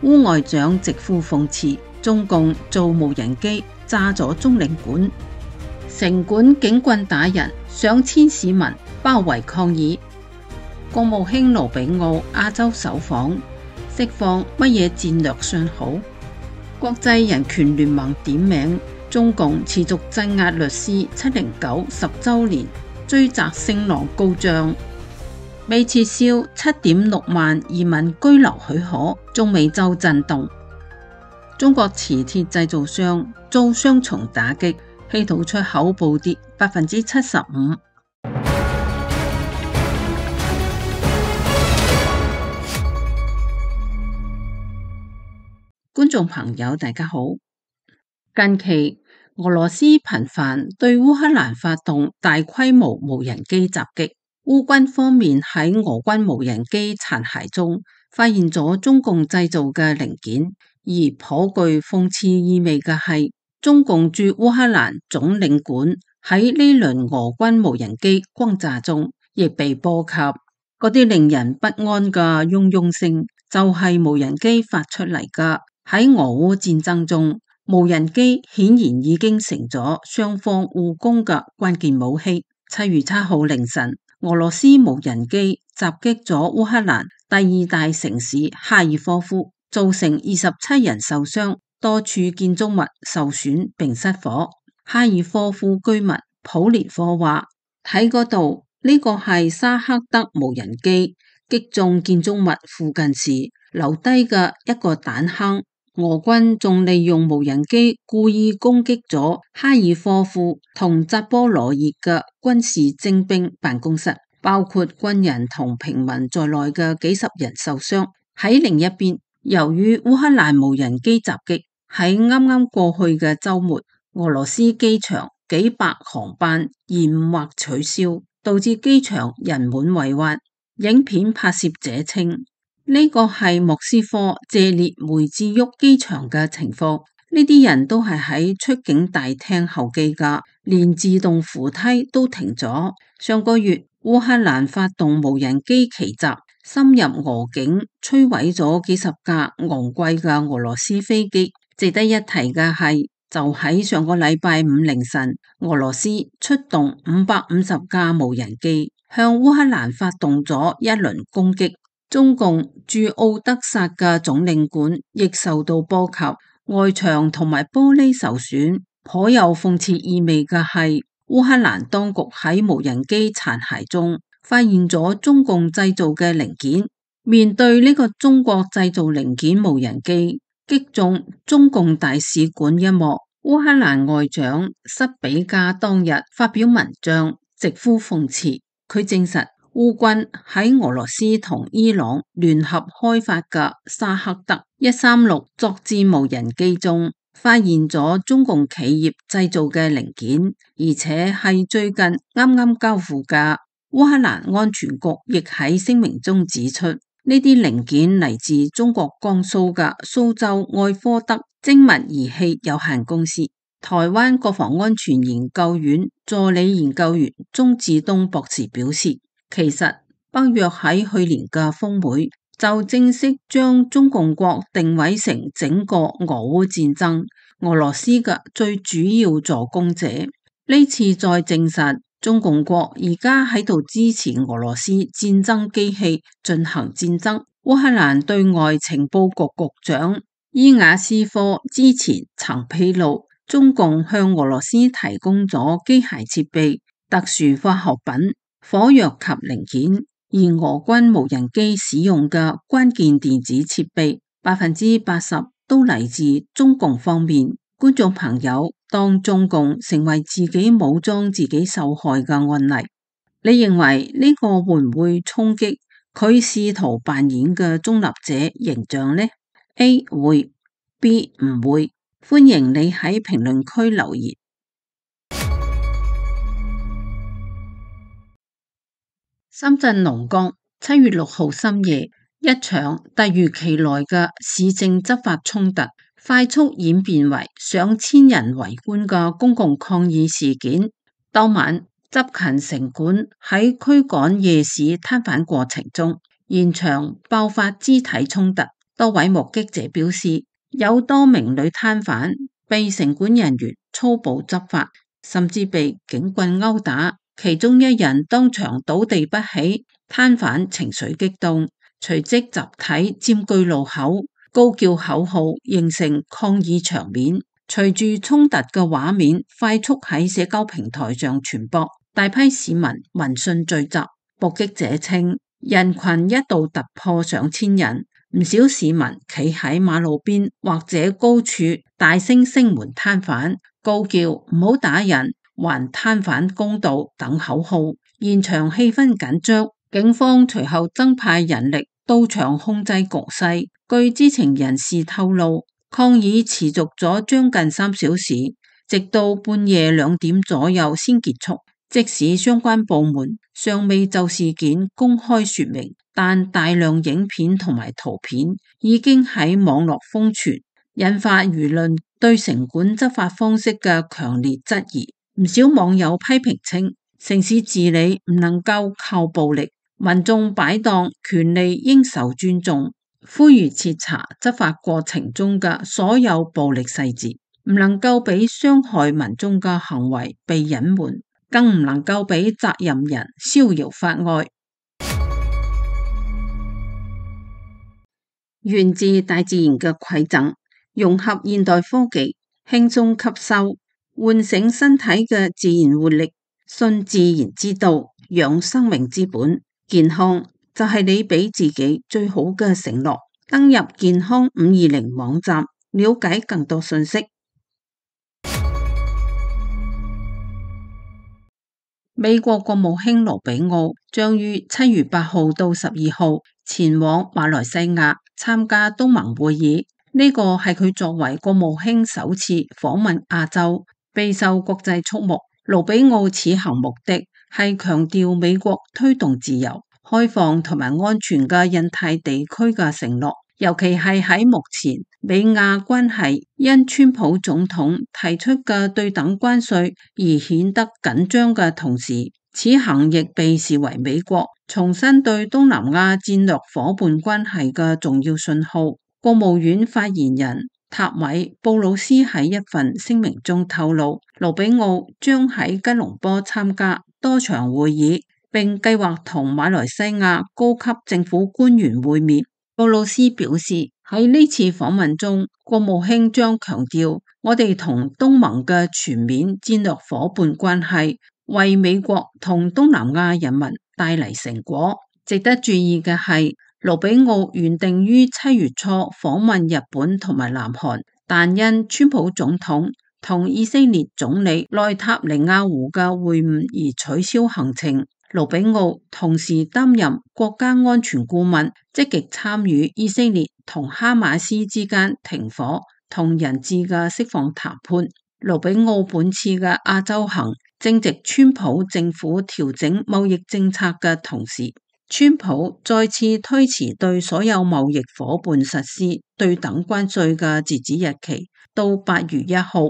烏外長直呼諷刺，中共做無人機炸咗中領館，城管警棍打人，上千市民包圍抗議。國務卿盧比奧亞洲首訪，釋放乜嘢戰略信號？國際人權聯盟點名，中共持續鎮壓律師709 10週年，追責聲浪高漲。未撤銷7.6萬移民居留許可，中美洲震動。中國磁鐵製造商遭雙重打擊，稀土出口暴跌75%。觀眾朋友大家好，近期俄羅斯頻繁對烏克蘭發動大規模無人機襲擊，烏軍方面喺俄軍無人機殘骸中發現咗中共製造嘅零件，而頗具諷刺意味嘅係，中共駐烏克蘭總領館喺呢輪俄軍無人機轟炸中亦被波及，嗰啲令人不安嘅嗡嗡聲就係無人機發出嚟㗎。喺俄烏戰爭中，無人機顯然已經成咗雙方互攻嘅關鍵武器。7月7號凌晨，俄羅斯無人機襲擊咗烏克蘭第2大城市哈爾科夫，造成27人受傷，多處建築物受損並失火。哈爾科夫居民普列科話：喺嗰度，呢個係沙克德無人機擊中建築物附近時留低嘅一個彈坑。俄軍仲利用無人機故意攻擊咗哈爾科夫同扎波羅熱嘅軍事精兵辦公室，包括軍人同平民在內嘅幾十人受傷。喺另一邊，由於烏克蘭無人機襲擊，喺啱啱過去嘅週末，俄羅斯機場幾百航班延誤或取消，導致機場人滿為患。影片拍攝者稱，呢個係莫斯科謝列梅治沃機場嘅情況，呢啲人都係喺出境大廳候機㗎，連自動扶梯都停咗。上個月烏克蘭發動無人機奇襲，深入俄境，摧毀咗幾十架昂貴嘅俄羅斯飛機。值得一提嘅係，就喺上個禮拜5凌晨，俄羅斯出動550架無人機向烏克蘭發動咗一輪攻擊。中共駐奧德薩嘅總領館亦受到波及，外牆同埋玻璃受損。頗有諷刺意味嘅係，烏克蘭當局喺無人機殘骸中發現咗中共製造嘅零件。面對呢個中國製造零件無人機擊中中共大使館一幕，烏克蘭外長塞比加當日發表文章，直呼諷刺。佢證實，烏軍喺俄羅斯同伊朗聯合開發嘅沙克德136作戰無人機中，發現咗中共企業製造嘅零件，而且係最近啱啱交付嘅。烏克蘭安全局亦喺聲明中指出，呢啲零件嚟自中國江蘇嘅蘇州愛科德精密儀器有限公司。台灣國防安全研究院助理研究員鍾志東博士表示，其實北約喺去年嘅峰會就正式將中共國定位成整個俄烏戰爭俄羅斯嘅最主要助攻者。呢次再證實中共國而家喺度支持俄羅斯戰爭機器進行戰爭。烏克蘭對外情報局局長伊瓦斯科之前曾披露，中共向俄羅斯提供咗機械設備、特殊化學品、火藥及零件，而俄軍無人機使用嘅關鍵電子設備80%都嚟自中共方面。觀眾朋友，當中共成為自己武裝自己受害嘅案例，你認為呢個會唔會衝擊佢試圖扮演嘅中立者形象呢？ A 會， B 唔會。歡迎你喺評論區留言。深圳龍崗7月6號深夜，一場突如其來嘅市政執法衝突，快速演變為上千人圍觀嘅公共抗議事件。當晚，執勤城管喺驅趕夜市攤販過程中，現場爆發肢體衝突，多位目擊者表示，有多名女攤販被城管人員粗暴執法，甚至被警棍毆打，其中一人當場倒地不起。攤販情緒激動，隨即集體佔據路口，高叫口號，形成抗議場面。隨住衝突嘅畫面快速喺社交平台上傳播，大批市民聞訊聚集。目擊者稱，人群一度突破上千人，唔少市民企喺馬路邊或者高處，大聲聲援攤販，高叫唔好打人，還攤販公道等口號。現場氣氛緊張，警方隨後增派人力到場控制局勢。據知情人士透露，抗議持續咗將近3小時，直到半夜2點左右先結束。即使相關部門尚未就事件公開說明，但大量影片同埋圖片已經喺網絡瘋傳，引發輿論對城管執法方式嘅強烈質疑。唔少網友批評稱，城市治理唔能夠靠暴力，民眾擺檔權利應受尊重，呼籲徹查執法過程中嘅所有暴力細節，唔能夠俾傷害民眾嘅行為被隱瞞，更唔能夠俾責任人逍遙法外。源自大自然嘅饋贈，融合現代科技，輕鬆吸收，喚醒身體嘅自然活力，信自然之道，養生命之本。健康就係你俾自己最好嘅承諾。登入健康520網站，了解更多信息。美國國務卿羅比奧將於7月8號到12號前往馬來西亞參加東盟會議，呢個係佢作為國務卿首次訪問亞洲，備受國際矚目。羅比奧此行目的係強調美國推動自由、開放同埋安全嘅印太地區嘅承諾，尤其係喺目前美亞關係因川普總統提出嘅對等關稅而顯得緊張嘅同時，此行亦被視為美國重申對東南亞戰略夥伴關係嘅重要信號。國務院發言人塔米布魯斯喺一份聲明中透露，羅比奧將喺吉隆坡參加多場會議，並計劃同馬來西亞高級政府官員會面。布魯斯表示，喺呢次訪問中，國務卿將強調我哋同東盟嘅全面戰略夥伴關係為美國同東南亞人民帶嚟成果。值得注意嘅係，羅比奧原定於7月初訪問日本同埋南韓，但因川普總統同以色列總理內塔尼亞胡嘅會晤而取消行程。羅比奧同時擔任國家安全顧問，積極參與以色列同哈馬斯之間停火同人質嘅釋放談判。羅比奧本次嘅亞洲行正值川普政府調整貿易政策嘅同時，川普再次推遲對所有貿易夥伴實施對等關稅嘅截止日期到8月1號。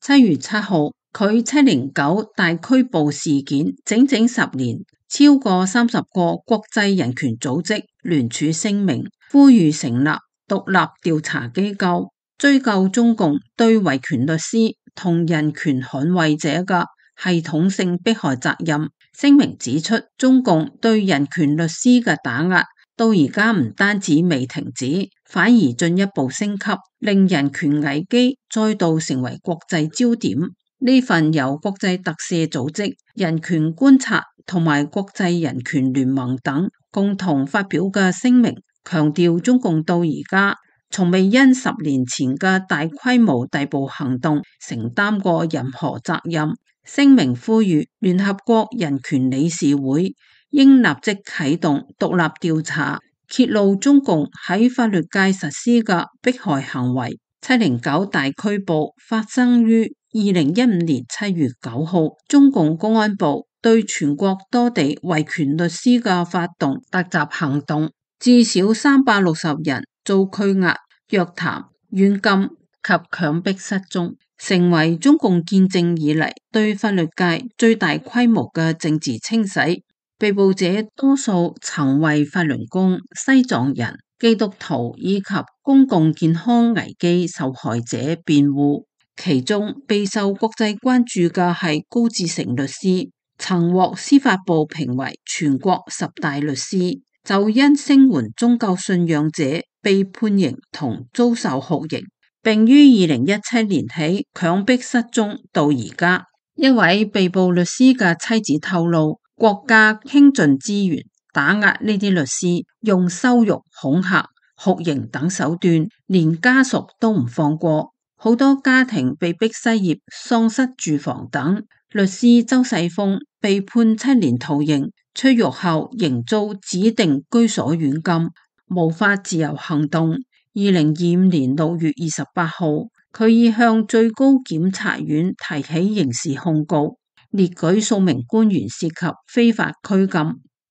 7月7號，距709大拘捕事件整整10年，超過30個國際人權組織聯署聲明，呼籲成立獨立調查機構，追究中共對維權律師同人權捍衛者嘅系統性迫害責任。聲明指出，中共對人權律師嘅打壓到而家唔單止未停止，反而進一步升級，令人權危機再度成為國際焦點。呢份由國際特赦組織、人權觀察同埋國際人權聯盟等共同發表嘅聲明，強調中共到而家從未因10年前嘅大規模逮捕行動承擔過任何責任。聲明呼籲聯合國人權理事會應立即啟動獨立調查，揭露中共喺法律界實施嘅迫害行為。709大拘捕發生於2015年7月9號，中共公安部對全國多地維權律師嘅發動突襲行動，至少360人遭拘押、約談、軟禁及強迫失蹤，成為中共建政以嚟對法律界最大規模嘅政治清洗。被捕者多數曾為法輪功、西藏人、基督徒以及公共健康危機受害者辯護。其中備受國際關注嘅係高志成律師，曾獲司法部評為全國10大律師，就因聲援宗教信仰者被判刑同遭受酷刑，並於2017年起強迫失蹤到而家。一位被捕律師嘅妻子透露，國家傾盡資源打壓呢啲律師，用羞辱、恐嚇、酷刑等手段，連家屬都唔放過。好多家庭被逼失業、喪失住房等。律師周世峰被判7年徒刑，出獄後仍遭指定居所軟禁，無法自由行動。2025年6月28號，佢已向最高檢察院提起刑事控告，列舉數名官員涉及非法拘禁、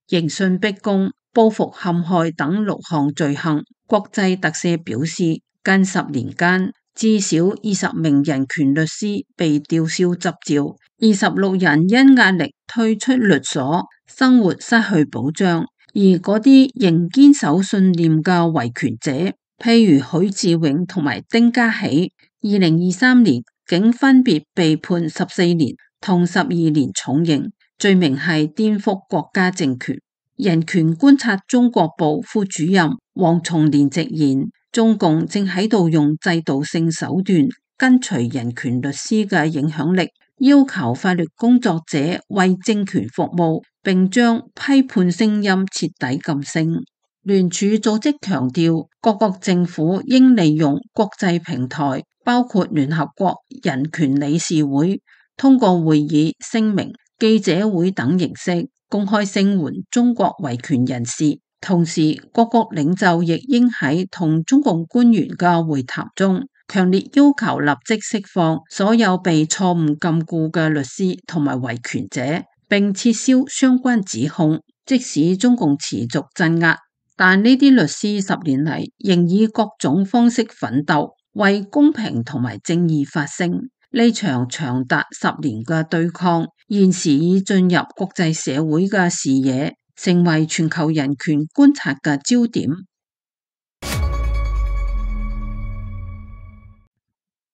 刑訊逼供、報復陷害等6項罪行。國際特赦表示，近10年間，至少20名人權律師被吊銷執照，26人因壓力退出律所，生活失去保障。而嗰啲仍堅守信念嘅維權者，譬如許志永同埋丁家喜，2023年竟分別被判14年同12年重刑，罪名係顛覆國家政權。人權觀察中國部副主任黃松年直言，中共正喺度用制度性手段跟隨人權律師嘅影響力，要求法律工作者為政權服務，並將批判聲音徹底禁聲。聯署組織強調，各國政府應利用國際平台，包括聯合國人權理事會，通過會議、聲明、記者會等形式公開聲援中國維權人士。同時，各國領袖亦應喺同中共官員嘅會談中，強烈要求立即釋放所有被錯誤禁錮嘅律師同埋維權者，並撤銷相關指控。即使中共持續鎮壓，但呢啲律師10年嚟仍以各種方式奮鬥，為公平同埋正義發聲。呢場長達10年嘅對抗，現時已進入國際社會嘅視野，成為全球人權觀察嘅焦點。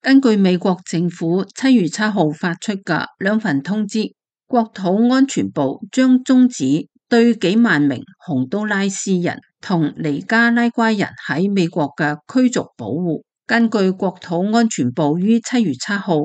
根據美國政府7月7號發出嘅2份通知，國土安全部將終止對幾萬名洪都拉斯人同尼加拉瓜人喺美國嘅驅逐保護。根據國土安全部於7月7號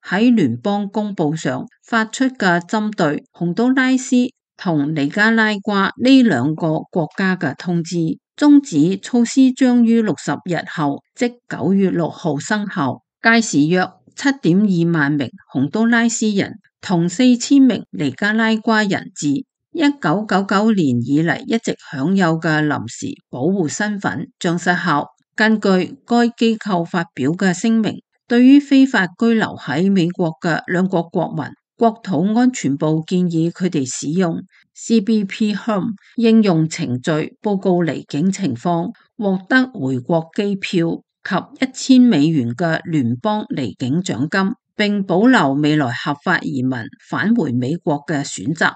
喺聯邦公報上發出嘅針對洪都拉斯同尼加拉瓜呢2個國家嘅通知，終止措施將於60日後，即9月6號生效。屆時約7.2萬名洪都拉斯人同4000名尼加拉瓜人自1999年以嚟一直享有嘅臨時保護身份將失效。根據該機構發表嘅聲明，對於非法居留喺美國嘅2國國民，國土安全部建議佢哋使用 CBP Home 應用程序報告離境情況，獲得回國機票及$1000嘅聯邦離境獎金，並保留未來合法移民返回美國嘅選擇。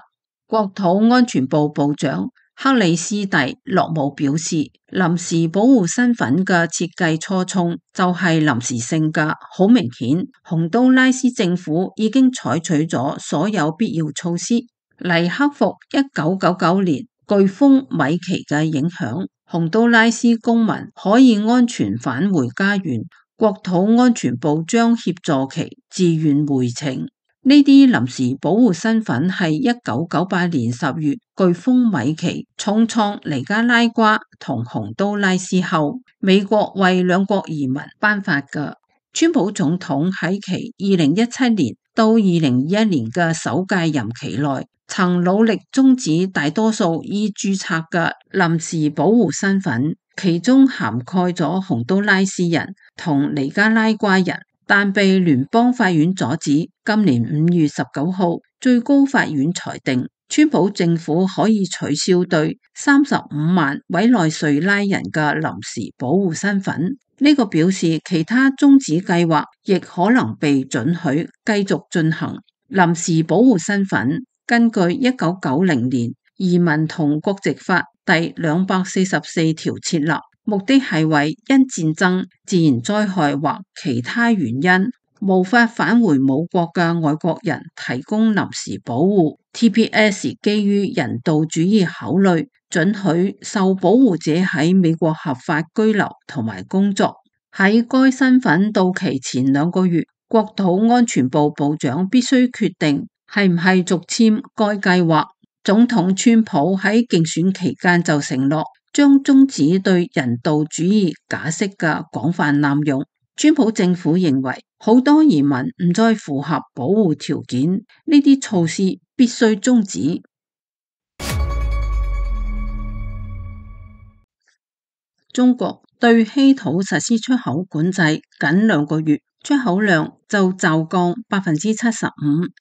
國土安全部部長克里斯蒂洛姆表示，臨時保護身份嘅設計初衷就係臨時性嘅，好明顯，洪都拉斯政府已經採取咗所有必要措施嚟克服1999年颶風米奇嘅影響。洪都拉斯公民可以安全返回家園，國土安全部將協助其自願回程。呢啲臨時保護身份係1998年10月颶風米奇重創尼加拉瓜同洪都拉斯後，美國為2國移民頒發嘅。川普總統喺其2017年到2021年嘅首屆任期內，曾努力終止大多數已註冊嘅臨時保護身份，其中涵蓋咗洪都拉斯人同尼加拉瓜人，但被聯邦法院阻止。今年5月19號，最高法院裁定，川普政府可以取消對35萬委內瑞拉人嘅臨時保護身份。呢個表示其他終止計劃亦可能被准許繼續進行。臨時保護身份根據1990年移民同國籍法第244條設立，目的係為因戰爭、自然災害或其他原因無法返回母國嘅外國人提供臨時保護。TPS 基於人道主義考慮，准許受保護者喺美國合法居留同埋工作。喺該身份到期前2個月，國土安全部部長必須決定係唔係續簽該計劃。總統川普喺競選期間就承諾將終止對人道主義假釋嘅廣泛濫用。川普政府認為好多移民唔再符合保護條件，呢啲措施必須終止。中國對稀土實施出口管制僅2個月，出口量就驟降75%，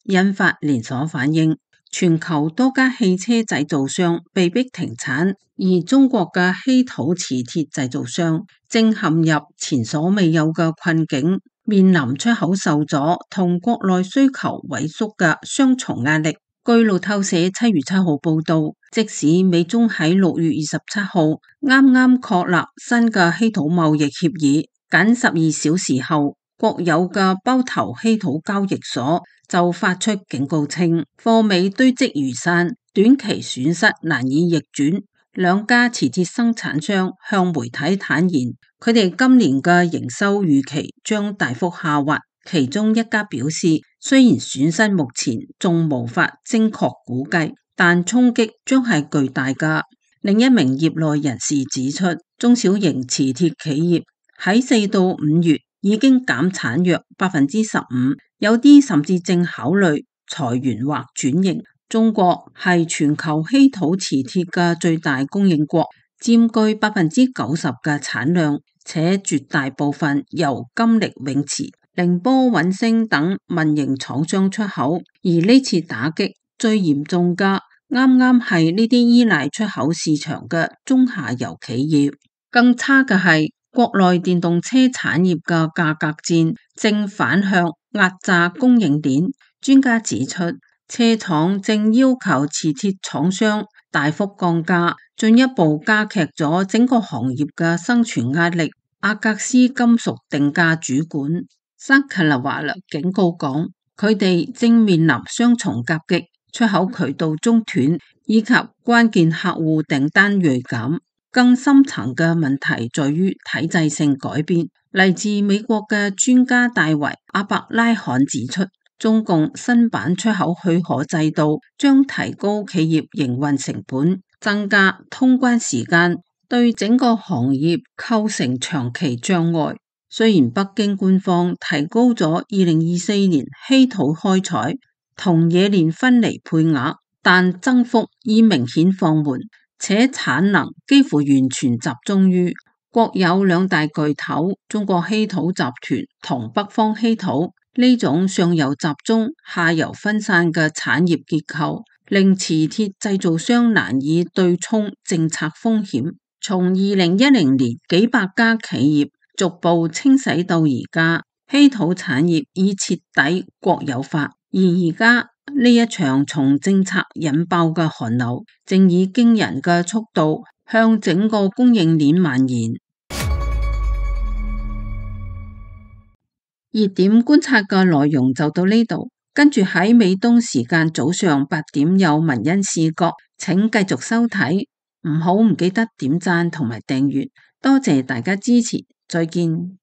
引發連鎖反應。全球多家汽車製造商被迫停產，而中國嘅稀土磁鐵製造商正陷入前所未有嘅困境，面臨出口受阻同國內需求萎縮嘅雙重壓力。據路透社7月7號報道，即使美中喺6月27號啱啱確立新嘅稀土貿易協議，僅12小時後，國有嘅包頭稀土交易所就發出警告稱，貨尾堆積如山，短期損失難以逆轉。2家磁鐵生產商向媒體坦言，佢哋今年嘅營收預期將大幅下滑。其中一家表示，雖然損失目前仲無法精確估計，但衝擊將係巨大㗎。另一名業內人士指出，中小型磁鐵企業喺4到5月已經減產約15%，有啲甚至正考慮裁員或轉型。中國係全球稀土磁鐵嘅最大供應國，佔據90%嘅產量，且絕大部分由金力永磁、寧波穩星等民營廠商出口。而呢次打擊最嚴重嘅，啱啱係呢啲依賴出口市場嘅中下游企業。更差嘅係，國內電動車產業嘅價格戰正反向壓榨供應鏈。專家指出，車廠正要求磁鐵廠商大幅降價，進一步加劇咗整個行業嘅生存壓力。阿格斯金屬定價主管薩克勒華勒警告講，佢哋正面臨雙重夾擊，出口渠道中斷以及關鍵客戶訂單銳減。更深層嘅問題在於體制性改變。嚟自美國嘅專家戴維阿伯拉罕指出，中共新版出口許可制度將提高企業營運成本，增加通關時間，對整個行業構成長期障礙。雖然北京官方提高咗2024年稀土開採同冶煉分離配額，但增幅已明顯放緩，且產能幾乎完全集中於國有2大巨頭中國稀土集團同北方稀土。呢種上游集中、下游分散嘅產業結構，令磁鐵製造商難以對沖政策風險。從2010年幾百家企業逐步清洗到而家，稀土產業已徹底國有化。而家呢一場從政策引爆嘅寒流，正以驚人嘅速度向整個供應鏈蔓延。熱點觀察嘅內容就到呢度，跟住喺美東時間早上8點有文欣視角，請繼續收睇，唔記得點讚同埋訂閱，多謝大家支持，再見。